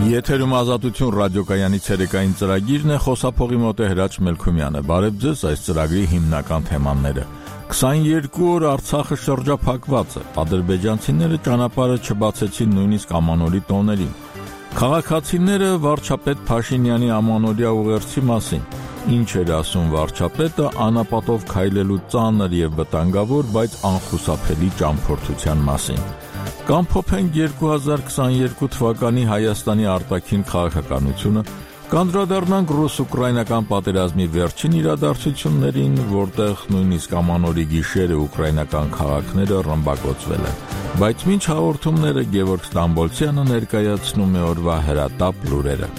Եթերում ազատություն ռադիոկայանի ցերեկային ծրագիրն է, խոսափողի մոտ է Հրաչ Մելքումյանը։ Բարև ձեզ, այս ծրագրի հիմնական թեմաները։ 22 օր Արցախը շրջափակված է, ադրբեջանցիները ճանապարհը չբացեցին նույնիսկ ամանորի տոներին։ Քաղաքացիները վարչապետ Փաշինյանի ամանորյա ուղերձի մասին։ Ինչ էր ասում վարչապետը անապատով քայլելու ծանր եւ վտանգավոր, բայց անխուսափելի ճամփորդության մասին։ Կամ փոփենք 2022 թվականի Հայաստանի արտաքին քաղաքականությունը, կանդրադառնանք ռուս-ուկրաինական պատերազմի վերջին իրադարձություններին, որտեղ նույնիսկ ամանորի գիշերը ուկրաինական քաղաքները ռմբակոծվել են։ Բայց մինչ հաղորդումները Գևորգ Ստամբոլցյանը ներկայացնում է օրվա հրատապ լուրերը։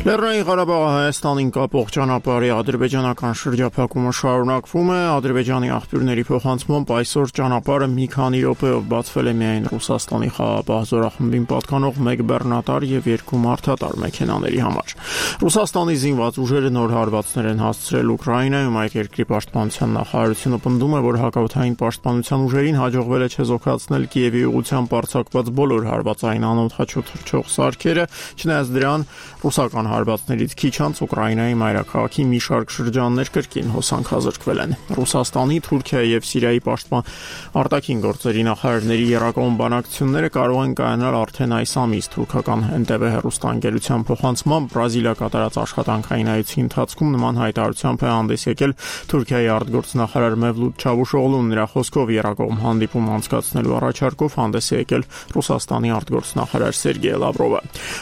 Լեռնային Ղարաբաղը Հայաստանին կապող ճանապարհի ադրբեջանական շրջափակումը շարունակվում է։ Ադրբեջանի աղբյուրների փոխանցմամբ այսօր ճանապարհը մի քանի րոպեով բացվել է միայն Ռուսաստանի խաղաղապահ զորախմբին պատկանող 1 բեռնատար եւ 2 մարդատար մեքենաների համար։ Ռուսաստանի զինված ուժերը նոր հարվածներ են հասցրել Ուկրաինայում։ Այդ երկրի պաշտպանության նախարարությունը պնդում է, որ հակաօդային պաշտպանության ուժերին հաջողվել է չեզոքացնել Կիևի ուղղությամբ արձակված բոլոր հարվածային անօդաչու թռչող սարքերը, չնայած դրան ռուսական հարվածներից քիչ անց Ուկրաինայի մայրաքաղաքի մի շարք շրջաններ կրկին հոսանքազրկվել են։ Ռուսաստանի, Թուրքիայի եւ Սիրիայի արտաքին գործերի նախարարների եռակողմ բանակցությունները կարող են կայանալ արդեն այս ամիս։ Թուրքական NTV հեռուստաընկերության փոխանցմամբ Բրազիլիա կատարած աշխատանքային այցի ընթացքում նման հայտարարությամբ է հանդես եկել Թուրքիայի արտգործնախարար Մևլութ Չավուշօղլուն։ Նրա խոսքով եռակողմ հանդիպում անցկացնելու առաջարկով հանդես է եկել Ռուսաստանի արտգործնախարար Սերգեյ Լավրովը։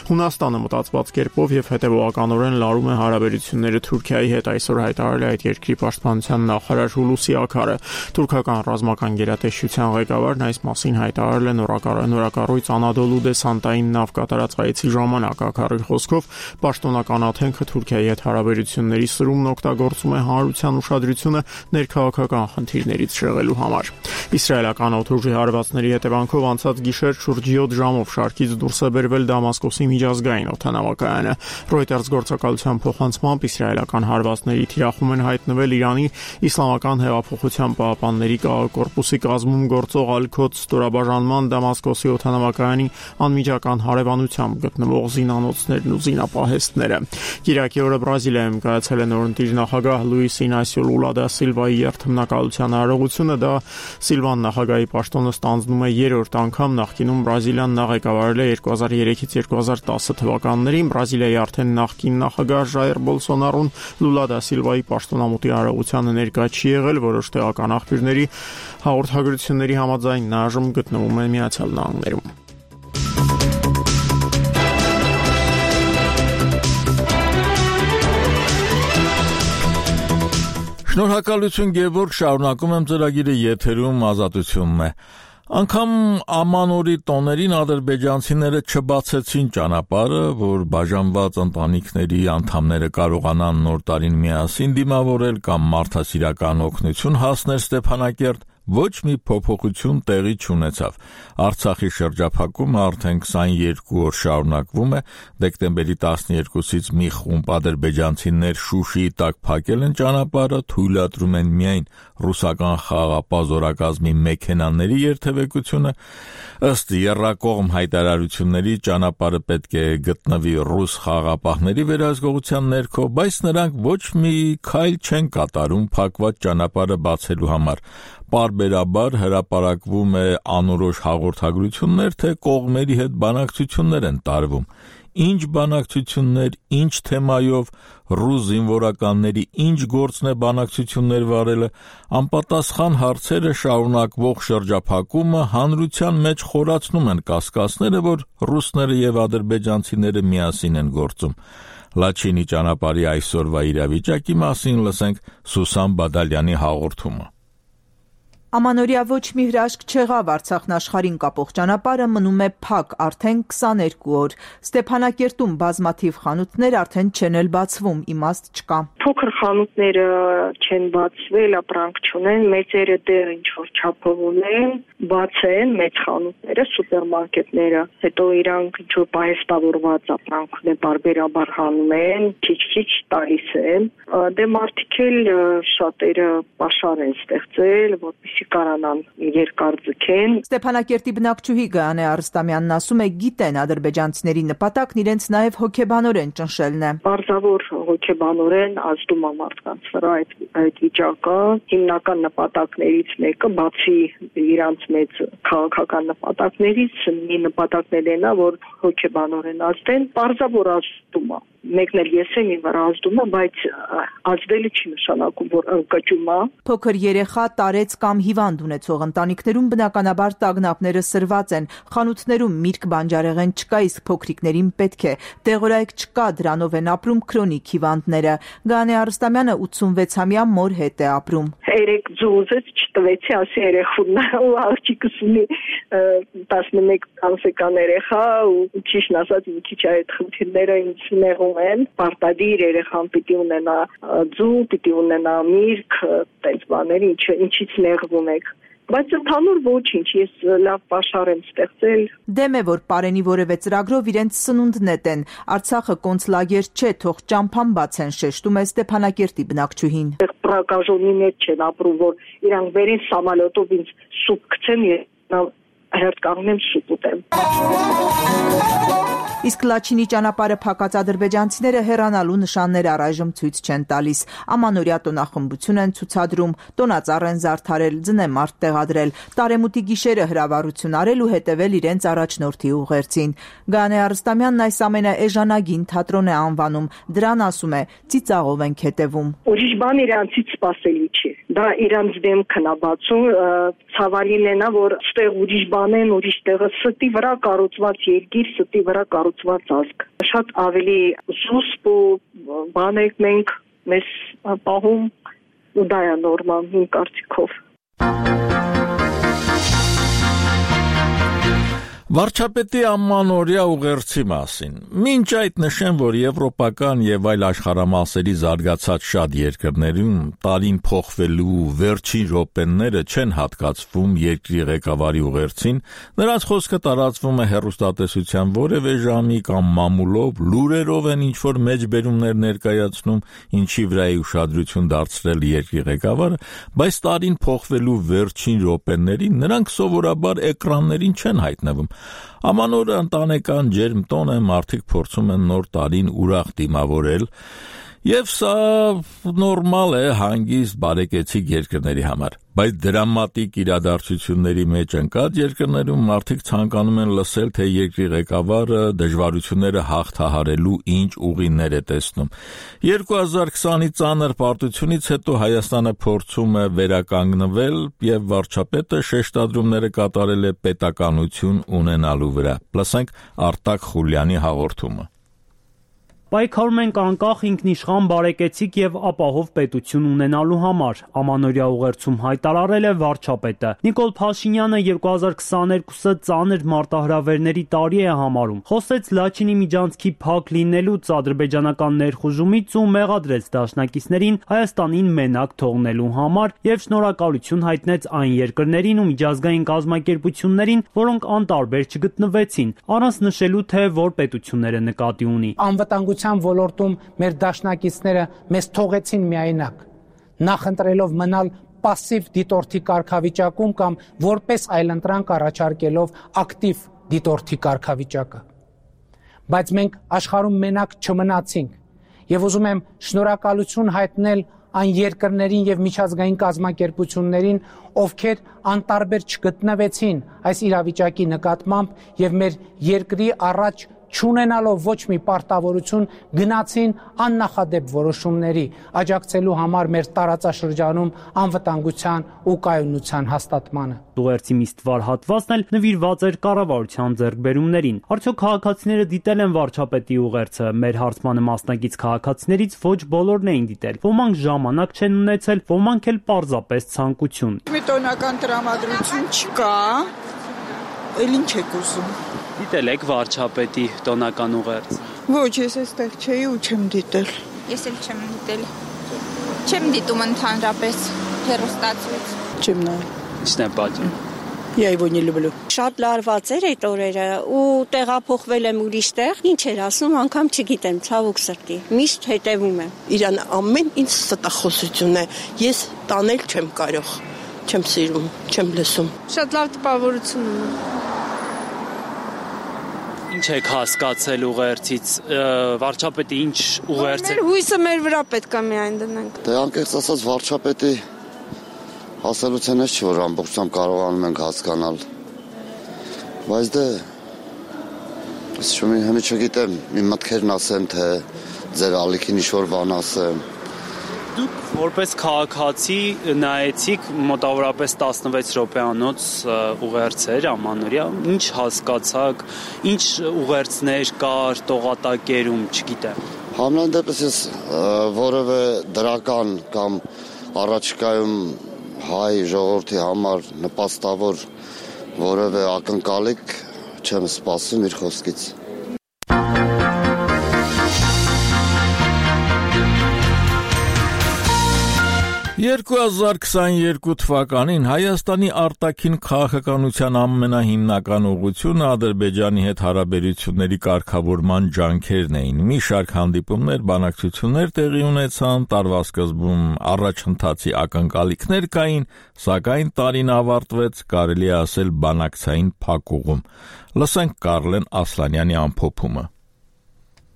Հունաստանը մտածված կերպով եւ հետևողականորեն լարում է հարաբերությունները Թուրքիայի հետ, այսօր հայտարարել է այդ երկրի պաշտպանության նախարար Հուլուսի Աքարը։ Թուրքական ռազմական գերատեսչության ղեկավարն այս մասին հայտարարել է նորակառույց Անադոլու դեսանտային նավ կատարած այցի ժամանակ։ Աքարի խոսքով պաշտոնական աթենքը Թուրքիայի հետ հարաբերությունների սրումն օգտագործում է հանրության ուշադրությունը ներքաղաքական խնդիրներից շեղելու համար։ Իսրայելական օդուժի հարվածների հետևանքով անցած գիշեր շուրջ 7 ժամով շարքից դուրս է բերվել Դամասկոսի միջազգային օդանավակայանը։ Reuters գործակալության փոխանցմամբ իսրայելական հարվածների թիրախում են հայտնվել Իրանի Իսլամական հեղափոխության պահապանների կորպուսի կազմում գործող Ալ-Քոդս ստորաբաժանման Դամասկոսի օդանավակայանի անմիջական հարևանությամբ գտնվող զինանոցներն ու զինապահեստները։ Կիրակի օրը Բրազիլիայում կայացել է նորընտիր նախագահ Լուիս Ինասիո Լուլա դա Սիլվայի երթմնակալության արարողությունը։ Դա Սիլվան նախագահի պաշտոնը ստանձնում է երրորդ անգամ։ Նախկինում Բրազիլիան նա ղեկավարել է 2003-ից 2010 թվականներին։ Բրազիլիայի արդեն նախկին նախագահ Ժայր Բոլսոնարոն Լուլա դա Սիլվայի պաշտոնամուտի արարողությանը ներկա չի եղել։ Որոշ տեղական աղբյուրների հաղորդագրությունների համաձայն նա այժմ գտնվում է Միացյալ Նահանգներում։ Շնորհակալություն Գևորգ, շարունակում եմ ծրագիրը, եթերում ազատությունն է։ Անգամ ամանորի տոներին ադրբեջանցիները չբացեցին ճանապարհը, որ բաժանված ընտանիքների անդամները կարողանան նոր տարին միասին դիմավորել կամ մարդասիրական օգնություն հասնել Ստեփանակերտ, ոչ մի փոփոխություն տեղի չունեցավ։ Արցախի շրջափակումը արդեն 22 օր շարունակվում է։ Դեկտեմբերի 12-ից մի խումբ ադրբեջանցիներ Շուշիի տակ փակել են ճանապարհը, թույլատրում են միայն ռուսական խաղաղապահ զորակազմի մեքենաների երթևեկությունը։ Ըստ եռակողմ հայտարարությունների ճանապարհը պետք է գտնվի ռուս խաղաղապահների վերահսկողության ներքո, բայց նրանք ոչ մի քայլ չեն կատարում փակված ճանապարհը բացելու համար։ Պարբերաբար հրապարակվում է անորոշ հաղորդագրություններ, թե կողմերի հետ բանակցություններ են տարվում։ Ինչ բանակցություններ, ինչ թեմայով, ռուս զինվորականների ինչ գործն է բանակցություններ վարելը, անպատասխան հարցերը շարունակվող շրջափակումը հանրության մեջ խորացնում են կասկածները, որ ռուսները եւ ադրբեջանցիները միասին են գործում։ Լաչինի ճանապարհի այսօրվա իրավիճակի մասին լսենք Սուսան Բադալյանի հաղորդումը։ Ամանորյա ոչ մի հրաշք չեղավ, Արցախն աշխարհին կապող ճանապարհը մնում է փակ արդեն 22 օր։ Ստեփանակերտում բազմաթիվ խանութներ արդեն չեն էլ բացվում, իմաստ չկա։ Փոքր խանութները չեն բացվել, ապրանք չունեն, մեծերը դեռ ինչ որ չափով ունեն, բաց են մեծ խանութները, սուպերմարկետները, հետո իրանք ինչ որ պահեստավորված ապրանք ունեն, բարբերաբար հանում են, քիչ-քիչ տալիս են։ Դե մարդիկ էլ շատերը պաշար են ստեղծել, որպեսզի կարանան երկար ձգեն։ Ստեփանակերտի բնակչուհի Գայանե Արստամյանն ասում է, գիտեն ադրբեջանցիների նպատակն իրենց նաև հոգեբանորեն ճնշելն է։ Պարզավոր հոգեբանորեն ազդում է մարդկանց վրա այդ վիճակը։ Հիմնական նպատակներից մեկը, բացի իրանց մեծ քաղաքական նպատակներից, մի նպատակն էլ է, որ հոգեբանորեն ազդեն, պարզավոր ազդում է։ Մեկն էլ ես եմ իմ վրա ազդում է, բայց ազդելը չի նշանակում, որ ընկճում է։ Փոքր երեխա, տարեց կամ հիվանդ ունեցող ընտանիքներում բնականաբար տագնապները սրված են, խանութներում միրգ բանջարեղեն չկա, իսկ փոքրիկներին պետք է, տեղորայք չկա, դրանով են ապրում քրոնիկ հիվանդները։ Գայանե Արստամյանը 86-ամյա մոր հետ է ապրում։ Երեք ձուզեց չտվեցի, ասի երեխուն ու աղջիկս ունի 11 ամսական երեխա ու ճիշտ ասած մի քիչ այդ խնդիրները ինձ նեղում են, պարտադիր երեխան պիտի ունենա ձու, պիտի ունենա միրգ, տենց բաներ, ինչից նեղվում եք։ Բայց ընդհանուր ոչինչ, ես լավ պաշար եմ ստեղծել։ Դեմ է, որ Պարենի որևէ ծրագրով իրենց սնունդ նետեն։ Արցախը կոնցլագեր չէ, թող ճամփան բացեն, շեշտում է Ստեփանակերտի բնակչուհին։ Պրակաժոնի մեջ չեն ապրում, որ իրանք վերին սամալյոտով ինձ սուպ գցեն, հերթ կանգնեմ սուպ ուտեմ։ Իսկ Լաչինի ճանապարհը փակած ադրբեջանցիները հեռանալու նշաններ առայժմ ցույց չեն տալիս։ Ամանորյա տոնախմբություն են ցուցադրում, տոնածառ են զարդարել, ձնեմարդ տեղադրել, տարեմուտի գիշերը հրավառություն արել ու հետևել իրենց առաջնորդի ուղերձին։ Գայանե Արստամյանն այս ամենը էժանագին թատրոն է անվանում, դրան ասում է, ծիծաղով ենք հետևում։ Ուրիշ բան իրանցից սպասելի չի։ Դա իրանց դեմքն է բացում, ցավալին է նա, որ ստեղ ուրիշ բան են, ուրիշ տեղը ստի վրա կառուցված երկիր, ստի վրա կառուցված ազգ։ Շատ ավելի զուսպ ու բան եք մենք մեզ պահում ու դա է նորմալ իմ կարծիքով։ Վարչապետի ամանորյա ուղերձի մասին։ Մինչ այդ նշեմ, որ եվրոպական եւ այլ աշխարհամասերի զարգացած շատ երկրներում տարին փոխվելու վերջին րոպեները չեն հատկացվում երկրի ղեկավարի ուղերձին, նրանց խոսքը տարածվում է հեռուստատեսության որևէ ժամի կամ մամուլով, լուրերով են ինչ-որ մեջբերումներ ներկայացնում, ինչի վրա է ուշադրություն դարձրել երկրի ղեկավարը, բայց տարին փոխվելու վերջին րոպեներին նրանք սովորաբար էկրաններին չեն հայտնվում։ Ամանորը ընտանեկան ջերմ տոն է, մարդիկ փորձում են նոր տարին ուրախ դիմավորել, եւ սա նորմալ է հանգիստ բարեկեցիկ երկրների համար, բայց դրամատիկ իրադարձությունների մեջ ընկած երկրներում մարդիկ ցանկանում են լսել, թե երկրի ղեկավարը դժվարությունները հաղթահարելու ինչ ուղիներ է տեսնում։ 2020-ի ծանր պարտությունից հետո Հայաստանը փորձում է վերականգնվել եւ վարչապետը շեշտադրումները կատարել է պետականություն ունենալու վրա։ Լսենք Արտակ Խուլյանի հաղորդումը։ Պայքարում ենք անկախ ինքնիշխան բարեկեցիկ եւ ապահով պետություն ունենալու համար, ամանորյա ուղերձում հայտարարել է վարչապետը։ Նիկոլ Փաշինյանը 2022-ը ծանր մարտահրավերների տարի է համարում։ Խոսեց Լաչինի միջանցքի փակ լինելուց, ադրբեջանական ներխուժումից ու մեղադրեց դաշնակիցներին Հայաստանին մենակ թողնելու համար եւ շնորհակալություն հայտնեց այն երկրներին ու միջազգային կազմակերպություններին, որոնք անտարբեր չգտնվեցին, առանց նշելու, թե որ պետությունները նկատի ունի։ Անվտանգության ոլորտում մեր դաշնակիցները մեզ թողեցին միայնակ, նախընտրելով մնալ պասիվ դիտորդի կարգավիճակում կամ որպես այլընտրանք առաջարկելով ակտիվ դիտորդի կարգավիճակը։ Բայց մենք աշխարհում մենակ չմնացինք եւ ուզում եմ շնորհակալություն հայտնել այն երկրներին եւ միջազգային կազմակերպություններին, ովքեր անտարբեր չգտնվեցին այս իրավիճակի նկատմամբ եւ մեր երկրի առաջ չունենալով ոչ մի պարտավորություն գնացին աննախադեպ որոշումների, աջակցելու համար մեր տարածաշրջանում անվտանգության ու կայունության հաստատմանը։ Ուղերձի մի ստվար հատվածն էլ նվիրված էր կառավարության ձեռքբերումներին։ Արդյոք քաղաքացիները դիտել են վարչապետի ուղերձը։ Մեր հարցմանը մասնակից քաղաքացիներից ոչ բոլորն էին դիտել։ Ոմանք ժամանակ չեն ունեցել, ոմանք էլ պարզապես ցանկություն։ Մի տոնական տրամադրություն չկա, էլ ինչ եք ուզում։ Դիտել եք վարչապետի տոնական ուղերձ։ Ոչ, ես այստեղ չէի ու չեմ դիտել։ Ես էլ չեմ դիտել։ Չեմ դիտում ընդհանրապես հեռուստացույց։ Չեմ նայել։ Ինչն է պատճառը։ Я его не люблю։ Շատ լարված էր այդ օրերը ու տեղափոխվել եմ ուրիշ տեղ, ինչ էր ասում, անգամ չգիտեմ, ցավոք սրտի։ Միշտ հետևում եմ։ Իրան ամեն ինչ ստախոսություն է։ Ես տանել չեմ կարող։ Չեմ սիրում, չեմ լսում։ Շատ լավ տպավորություն ունեմ։ Ինչ եք հասկացել ուղերձից, վարչապետի ինչ ուղերձ է։ Հույսը մեր վրա պետք է միայն դնենք։ Դե անկեղծ ասած վարչապետի ասելությունից չի, որ ամբողջությամբ կարողանում ենք հասկանալ։ Բայց դե հենց չգիտեմ, իմ մտքերն ասեմ, թե ձեր ալիքին ինչ-որ բան ասեմ։ Դուք որպես քաղաքացի նայեցիք մոտավորապես 16 րոպեանոց ուղերձեր ամանորյա, ինչ հասկացաք, ինչ ուղերձներ կար տողատակերում, չգիտեմ։ Համենայն դեպս ես որևէ դրական կամ առաջիկայում հայ ժողովրդի համար նպաստավոր որևէ ակնկալիք չեմ սպասում իր խոսքից։ 2022 թվականին Հայաստանի արտաքին քաղաքականության ամենահիմնական ուղղությունը Ադրբեջանի հետ հարաբերությունների կարգավորման ջանքերն էին։ Մի շարք հանդիպումներ, բանակցություններ տեղի ունեցան, տարվա սկզբում առաջընթացի ակնկալիքներ կային, սակայն տարին ավարտվեց, կարելի է ասել, բանակցային փակուղում։ Լսենք Կարլեն Ասլանյանի ամփոփումը։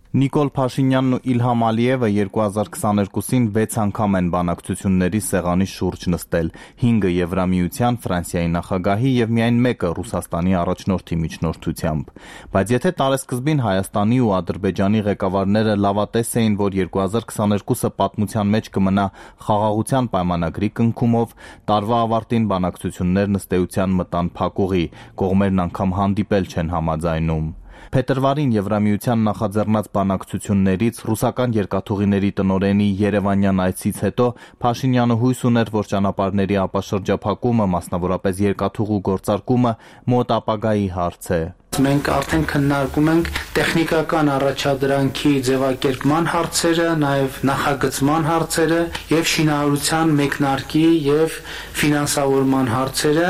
Նիկոլ Փաշինյանն ու Իլհամ Ալիևը 2022-ին 6 անգամ են բանակցությունների սեղանի շուրջ նստել, 5-ը Եվրամիության, Ֆրանսիայի նախագահի եւ միայն 1-ը Ռուսաստանի առաջնորդի միջնորդությամբ։ Բայց եթե տարեսկզբին Հայաստանի ու Ադրբեջանի ղեկավարները լավատես էին, որ 2022-ը պատմության մեջ կմնա խաղաղության պայմանագրի կնքումով, տարվա ավարտին բանակցություններն ըստ էության մտան փակուղի, կողմերն անգամ հանդիպել չեն համաձայնում։ Փետրվարին Եվրամիության նախաձեռնած բանակցություններից ռուսական երկաթուղիների տնօրենի Երևանյան այցից հետո Փաշինյանը հույս ուներ, որ ճանապարհների ապաշրջափակումը, մասնավորապես երկաթուղու գործարկումը մոտ ապագայի հարց է։ Մենք արդեն քննարկում ենք տեխնիկական առաջադրանքի ձևակերպման հարցերը, նաև նախագծման հարցերը եւ շինարարության մեկնարկի եւ ֆինանսավորման հարցերը։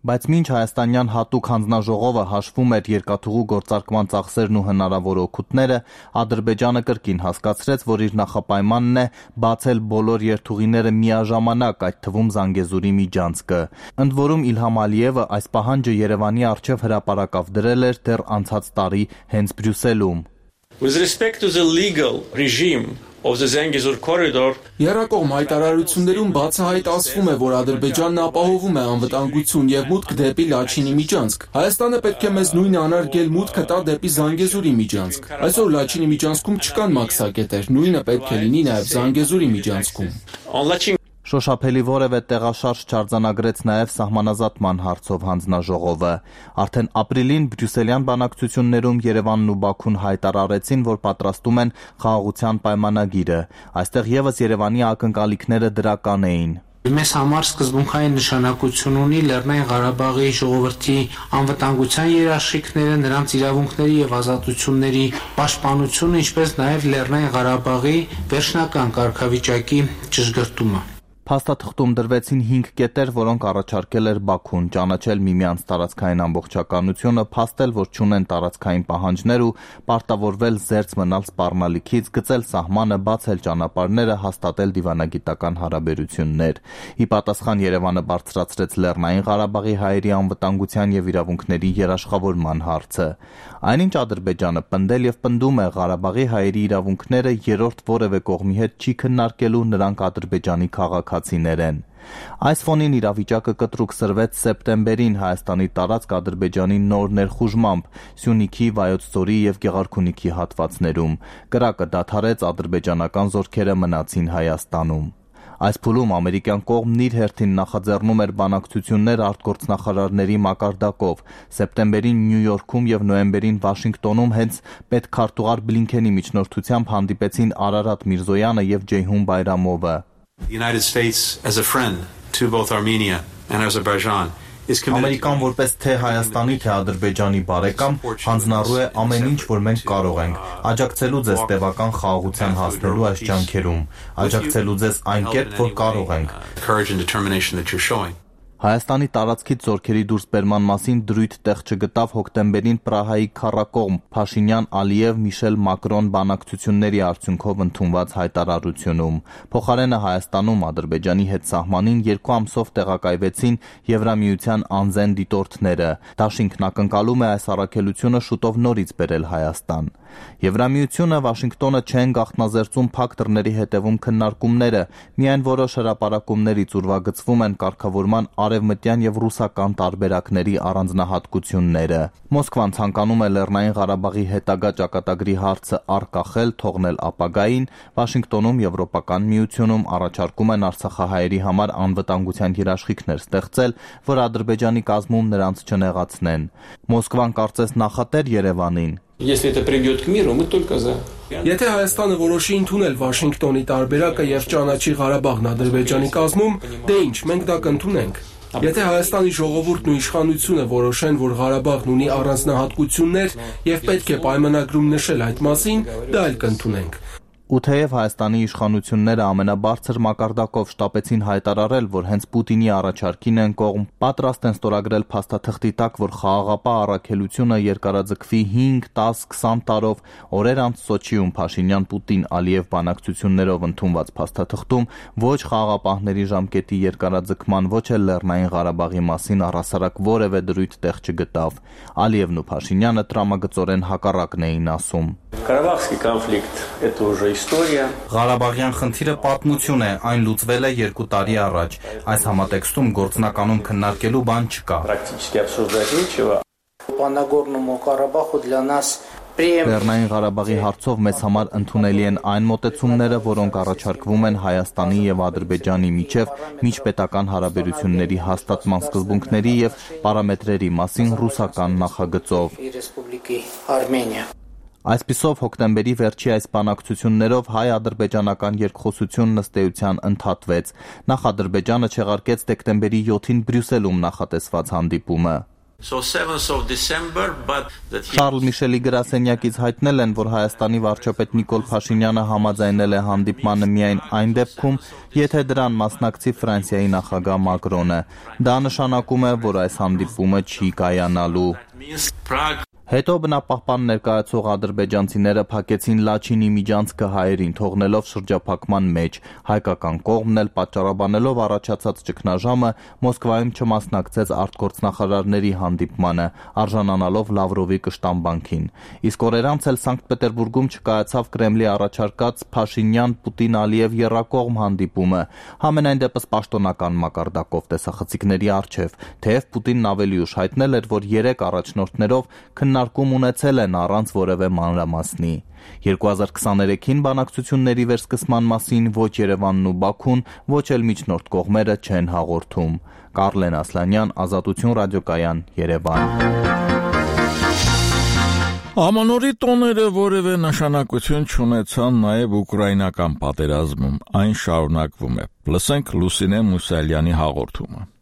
Բայց մինչ հայաստանյան հատուկ հանձնաժողովը հաշվում էր երկաթուղու գործարկման ծախսերն ու հնարավոր օգուտները, Ադրբեջանը կրկին հասկացրեց, որ իր նախապայմանն է բացել բոլոր երթուղիները միաժամանակ, այդ թվում Զանգեզուրի միջանցքը։ Ընդ որում Իլհամ Ալիևը այս պահանջը Երևանի առջև հրապարակավ դրել էր դեռ անցած տարի հենց Բրյուսելում։ With respect to the legal regime of the Zangezur corridor, Երակողմ հայտարարություններում բացահայտ ասվում է, որ Ադրբեջանն ապահովում է անվտանգություն եւ մուտք դեպի Լաչինի միջանցք։ Հայաստանը պետք է մեզ նույնը անարգել մուտքը տա դեպի Զանգեզուրի միջանցք։ Այսօր Լաչինի միջանցքում չկան մաքսակետեր, նույնը պետք է լինի նաեւ Զանգեզուրի միջանցքում։ Շոշափելի որևէ տեղաշարժ չարձանագրեց նաև սահմանազատման հարցով հանձնաժողովը։ Արդեն ապրիլին բրյուսելյան բանակցություններում Երևանն ու Բաքուն հայտարարեցին, որ պատրաստում են խաղաղության պայմանագիրը։ Այստեղ եւս Երևանի ակնկալիքները դրական էին։ Մեզ համար սկզբունքային նշանակություն ունի Լեռնային Ղարաբաղի ժողովրդի անվտանգության երաշխիքները, նրանց իրավունքների եւ ազատությունների պաշտպանությունը, ինչպես նաեւ Լեռնային Ղարաբաղի վերջնական կարգավիճակի ճշգրտումը։ Փաստաթղթում դրվեցին 5 կետեր, որոնք առաջարկել էր Բաքուն՝ ճանաչել միմյանց տարածքային ամբողջականությունը, փաստել, որ չունեն տարածքային պահանջներ ու պարտավորվել զերծ մնալ սպառնալիքից, գծել սահմանը, բացել ճանապարհները, հաստատել դիվանագիտական հարաբերություններ։ Ի պատասխան Երևանը բարձրացրեց Լեռնային Ղարաբաղի հայերի անվտանգության եւ իրավունքների երաշխավորման հարցը։ Այնինչ Ադրբեջանը պնդել եւ պնդում է Ղարաբաղի հայերի իրավունքները երրորդ որևէ կողմի հետ չի քննարկելու, նրանք Ադրբեջանի քաղաքացիներ են։ Այս ֆոնին իրավիճակը կտրուկ սրվեց սեպտեմբերին Հայաստանի տարածք Ադրբեջանի նոր ներխուժմամբ Սյունիքի, Վայոց ձորի եւ Գեղարքունիքի հատվածներում։ Կրակը դադարեց, ադրբեջանական զորքերը մնացին Հայաստանում։ Այս փուլում ամերիկյան կողմն իր հերթին նախաձեռնում էր բանակցություններ արտգործնախարարների մակարդակով։ Սեպտեմբերին Նյու Յորքում եւ նոյեմբերին Վաշինգտոնում հենց պետքարտուղար Բլինքենի միջնորդությամբ հանդիպեցին Արարատ Միրզոյանը եւ Ջեյհուն Բայրամովը։ Ամերիկան որպես թե Հայաստանի, թե Ադրբեջանի բարեկամ հանձնառու է ամեն ինչ, որ մենք կարող ենք, աջակցելու ձեզ տևական խաղաղության հասնելու այս ջանքերում, աջակցելու ձեզ այն կերպ, որ կարող ենք։ Հայաստանի տարածքից զորքերի դուրսբերման մասին դրույթ տեղ չգտավ հոկտեմբերին Պրահայի քառակողմ Փաշինյան-Ալիև Միշել Մակրոն բանակցությունների արդյունքով ընդունված հայտարարությունում։ Փոխարենը Հայաստանում Ադրբեջանի հետ սահմանին 2 ամսով տեղակայվեցին Եվրամիության անզեն դիտորդները։ Դաշինքն ակնկալում է այս առաքելությունը շուտով նորից բերել Հայաստան։ Եվրամիությունը, Վաշինգտոնը չեն գաղտնազերծում փակ դռների հետևում քննարկումները, միայն որոշ հրապարակումներից ուրվագծվում են կարգավորման արևմտյան եւ ռուսական տարբերակների առանձնահատկությունները։ Մոսկվան ցանկանում է Լեռնային Ղարաբաղի հետագա ճակատագրի հարցը առկախել, թողնել ապագային, Վաշինգտոնում Եվրոպական միությունում առաջարկում են արցախահայերի համար անվտանգության երաշխիքներ ստեղծել, որ Ադրբեջանի կազմում նրանց չնեղացնեն։ Մոսկվան կարծես նախատեր Երևանին։ Եթե Հայաստանը որոշի ընդունել Վաշինգտոնի տարբերակը եւ ճանաչի Ղարաբաղն Ադրբեջանի կազմում, դե ինչ, մենք դա կընդունենք։ Եթե Հայաստանի ժողովուրդն ու իշխանությունը որոշեն, որ Ղարաբաղն ունի առանձնահատկություններ եւ պետք է պայմանագրում նշել այդ մասին, դա էլ կընդունենք։ Ու թեև Հայաստանի իշխանությունները ամենաբարձր մակարդակով շտապեցին հայտարարել, որ հենց Պուտինի առաջարկին են կողմ, պատրաստ են ստորագրել փաստաթղթի տակ, որ խաղաղապահ առաքելությունը երկարաձգվի 5, 10, 20 տարով, օրեր անց Սոչիում Փաշինյան-Պուտին-Ալիև բանակցություններով ընդունված փաստաթղթում ոչ խաղաղապահների ժամկետի երկարաձգման, ոչ էլ Լեռնային Ղարաբաղի մասին առհասարակ որևէ դրույթ տեղ չգտավ։ Ալիևն ու Փաշինյանը տրամագծորեն հակառակն էին ասում։ Ղարաբաղский конфликт – это уже история. Ղարաբաղյան խնդիրը պատմություն է, այն լուծվել է 2 տարի առաջ։ Այս համատեքստում գործնականում քննարկելու բան չկա։ Практически обсуждать нечего. По Нагорному Карабаху для нас Լեռնային Ղարաբաղի հարցով մեզ համար ընդունելի են այն մոտեցումները, որոնք առաջարկվում են Հայաստանի եւ Ադրբեջանի միջև միջպետական հարաբերությունների հաստատման սկզբունքների եւ պարամետրերի մասին ռուսական նախագծով։ Այսպիսով հոկտեմբերի վերջի այս բանակցություններով հայ-ադրբեջանական երկխոսությունն ըստ էության ընդհատվեց։ Նախ Ադրբեջանը չեղարկեց դեկտեմբերի 7-ին Բրյուսելում նախատեսված հանդիպումը։ Շարլ Միշելի գրասենյակից հայտնել են, որ Հայաստանի վարչապետ Նիկոլ Փաշինյանը համաձայնել է հանդիպմանը միայն այն դեպքում, եթե դրան մասնակցի Ֆրանսիայի նախագահ Մակրոնը։ Դա նշանակում է, որ այս հանդիպումը չի կայանալու։ Հետո բնապահպան ներկայացող ադրբեջանցիները փակեցին Լաչինի միջանցքը հայերին, թողնելով շրջափակման մեջ։ Հայկական կողմն էլ պատճառաբանելով առաջացած ճգնաժամը Մոսկվայում չմասնակցեց արտգործնախարարների հանդիպմանը, արժանանալով Լավրովի կշտամբանքին։ Իսկ օրեր անց էլ Սանկտ Պետերբուրգում չկայացավ Կրեմլի առաջարկած Փաշինյան-Պուտին-Ալիև եռակողմ հանդիպումը, համենայն դեպս պաշտոնական մակարդակով տեսախցիկների առջև, թեև Պուտինն ավելի ուշ հայտնել էր, որ 3 առաջնորդներով քննարկում ունեցել են առանց որևէ մանրամասնի։ 2023-ին բանակցությունների վերսկսման մասին ոչ Երևանն ու Բաքուն, ոչ էլ միջնորդ կողմերը չեն հաղորդում։ Կարլեն Ասլանյան, Ազատություն ռադիոկայան, Երևան։ Ամանորի տոները որևէ նշանակություն չունեցան նաև ուկրաինական պատերազմում, այն շարունակվում է։ Լսենք Լուսինե Մուսալյանի հաղորդումը։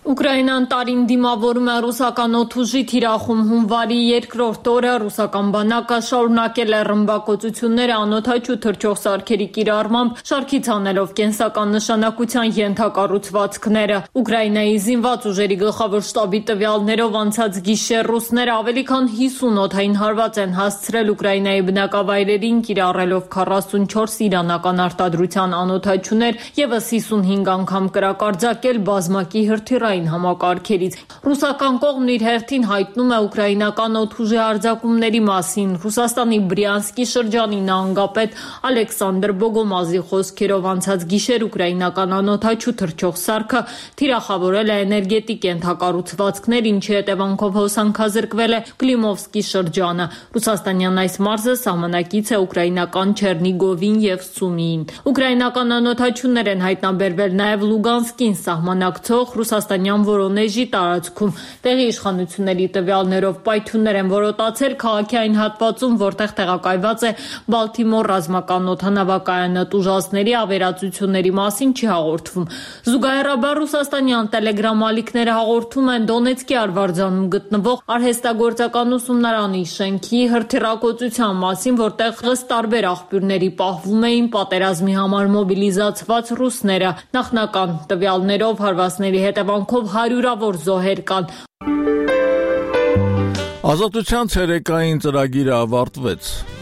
Ուկրաինան տարին դիմավորում է ռուսական օդուժի թիրախում հունվարի 2-րդ օրը ռուսական բանակը շարունակել է ռմբակոծությունները անօդաչու թռչող սարքերի կիրառմամբ, շարքից հանելով կենսական նշանակության ենթակառուցվածքները։ Ուկրաինայի զինված ուժերի գլխավոր շտաբի տվյալներով անցած գիշեր ռուսները ավելի քան 50 օդային հարված են հասցրել Ուկրաինայի բնակավայրերին, կիրառելով 44 իրանական արտադրության անօդաչուներ, եւս 55 անգամ կրակարձակել բազմակի հրթիռային հսկային համակարգերից։ Ռուսական կողմն իր հերթին հայտնում է ուկրաինական օդուժի հարձակումների մասին։ Ռուսաստանի Բրյանսկի շրջանի նահանգապետ Ալեքսանդր Բոգոմազի խոսքերով անցած գիշեր ուկրաինական անօդաչու թռչող սարքը թիրախավորել է էներգետիկ ենթակառուցվածքներ, ինչի հետևանքով հոսանքազրկվել է Կլիմովսկի շրջանը։ Ռուսաստանյան այս մարզը սահմանակից է ուկրաինական Չեռնիգովին եւ Սումիին։ Ուկրաինական անօդաչուներ են հայտնաբերվել նաեւ Լուգանսկին սահմանակցող ռուսաստանյան Վորոնեժի տարածքում։ Տեղի իշխանությունների տվյալներով պայթյուններ են որոտացել քաղաքի այն հատվածում, որտեղ տեղակայված է Բալթիմոր ռազմական օդանավակայանը։ Տուժածների ավերածությունների մասին չի հաղորդվում։ Զուգահեռաբար ռուսաստանյան տելեգրամ ալիքները հաղորդում են Դոնեցկի արվարձանում գտնվող արհեստագործական ուսումնարանի շենքի հրթիռակոծության մասին, որտեղ ըստ տարբեր աղբյուրների պահվում էին պատերազմի համար մոբիլիզացված ռուսները։ Նախնական տվյալներով հարվածների հետևանքով հարյուրավոր զոհեր կան։ Ազատության ցերեկային ծրագիրը ավարտվեց։